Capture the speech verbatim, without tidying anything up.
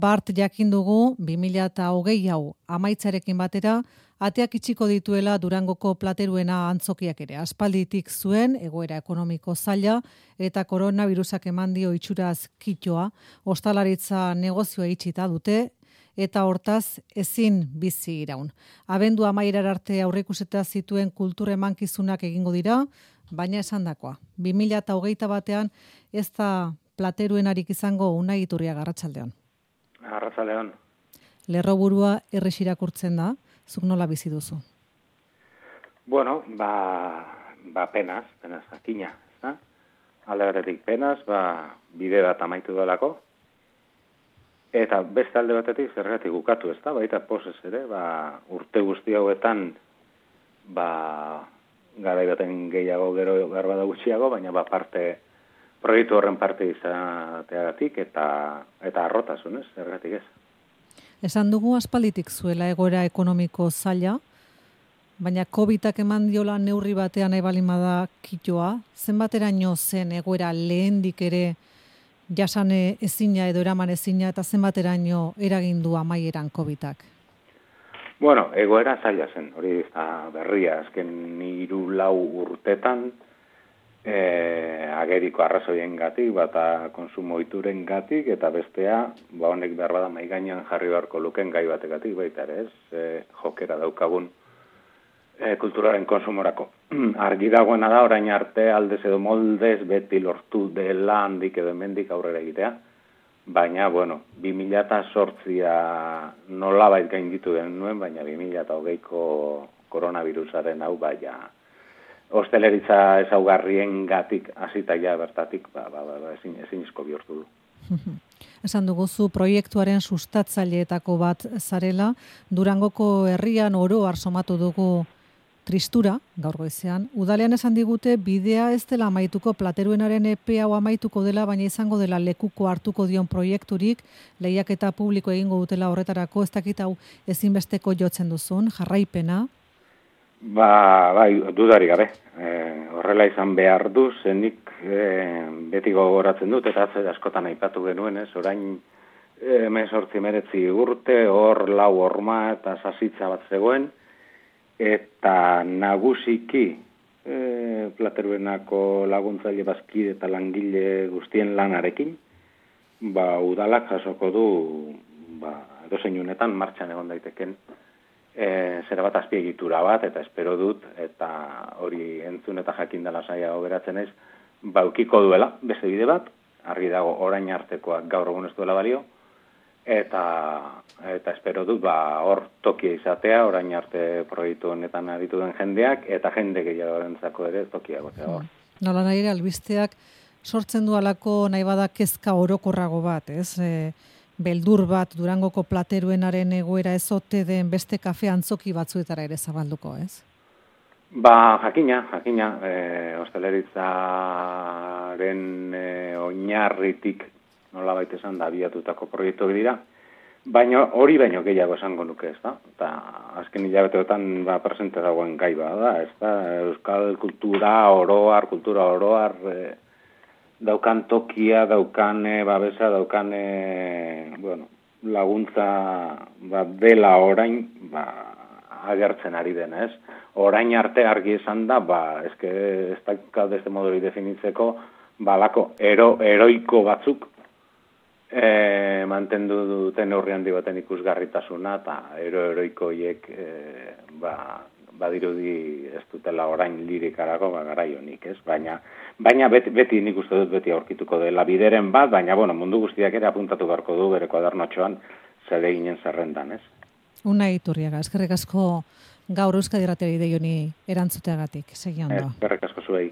Bart jakin dugu bi mila hogei hau amaitzarekin batera ateak itxiko dituela Durangoko plateruena antzokiak ere. Aspalditik zuen egoera ekonomiko zaila eta koronavirusak eman dio itxuraz kitoa, ostalaritza negozioa itxita dute eta hortaz ezin bizi iraun. Abendu amaierar arte aurreikusita zituen kultur emankizunak egingo dira, baina esandakoa. bi mila hogeita batean ez da plateruenarik izango. Unai Iturriaga, arratsaldeon. Arratsaldeon. Lerroburua erres irakurtzen da, zuk nola bizi duzu? Bueno, ba, ba penaz, penaz jakina, ezta? Alde batetik penaz, ba bide bat amaitu delako. Eta beste alde batetik zergatik bukatu, ezta? Baita pozez ere, ba urte guzti hauetan ba garai baten gehiago gero garba da gutxiago, baina ba parte proiektu horren parte izateagatik eta eta arrotasunez, zergatik ez. Esan dugu aspalditik zuela egoera ekonomiko zaila, baina covidak eman diola neurri batean nahi balin bada kitoa, zenbateraino zen egoera lehendik ere jasan ezina edo eraman ezina eta zenbateraino eragin du amaieran covidak? Bueno, egoera zaila zen, hori da berria, azken hiru lau urtetan E, ageriko arrazoiengatik, bata konsumo ohiturengatik eta bestea, ba honek behar bada mahai gainean jarri beharko luken gai bategatik baita ere, ez? E, jokera daukagun e, kulturaren konsumorako. Argi dagoena da orain arte aldez edo moldez beti lortu dela handik edo hemendik aurrera egitea. Baina, bueno, bi mila zortzia nolabait gainditu den nuen, baina bi mila hogeiko koronavirusaren hau baina hosteleritza ezaugarrien gatik hasita ja bertatik ba, ba, ba, ezin, ezinezko bihurtu du. Esan duguzu proiektuaren sustatzaileetako bat zarela, Durangoko herrian oro har somatu dugu tristura, gaur goizean. Udalean esan digute bidea ez dela amaituko, plateruenaren epe hau amaituko dela, baina izango dela lekuko hartuko dion proiekturik, lehiaketa publiko egingo dutela horretarako, ez dakit hau ezinbesteko jotzen duzun, jarraipena. Ba, bai, dudari gabe. E, horrela izan behar du, zenik e, beti gogoratzen dut, eta atze askotan aipatu genuen, ez, orain hemezortzi hemeretzi urte, hor lau horma eta sasitza bat zegoen, eta nagusiki e, plateruenako laguntzaile bazkide eta langile guztien lanarekin, ba, udalak jasoko du, ba, edozein unetan martxan egon daiteken, E, zera bat azpiegitura bat, eta espero dut, eta hori entzun eta jakin dela saia oberatzen ez, baukiko duela, beste bide bat, argi dago orain artekoak gaur egun ez duela balio, eta eta espero dut, ba, hor tokia izatea, orain arte proiektu honetan aritu den jendeak, eta jende gehiagorentzako ere tokia egotea hor. Nola nahi ere, albisteak sortzen du alako nahi bada kezka orokorrago bat, ez? E, beldur bat Durangoko plateruenaren egoera ezote den beste kafe antzoki batzuetara ere zabalduko, ez? Ba, jakina, jakina, e, ostaleritzaren e, oinarritik nolabait esan da abiatutako proiektuak dira, baina hori baino gehiago esango nuke, ez da? Eta azken hilabeteotan ba, presente dagoen gai bada, ez da? Euskal kultura oroar, kultura oroar, e, daukan tokia, daukan e, babesa, daukan e, bueno, laguntza ba, dela orain ba, agertzen ari dena, ez? Orain arte argi esan da, ba, eske ez da beste moduri definitzeko, balako ero, eroiko batzuk e, mantendu duten neurri handi baten ikusgarritasuna, eta ero-eroiko hiek e, ba, badirudi ez dutela orain lirikarako ba, garai honik, ez? Baina, baina beti, beti nik uste dut beti aurkituko dela bideren bat, baina bueno, mundu guztiak ere apuntatu beharko du bere kuadernotxoan zede ginen zerrendan, ez? Unai Iturriaga, eskerrik asko gaur Euskadi Irratiari dei honi erantzuteagatik, segi ondo. Eskerrik asko zuei.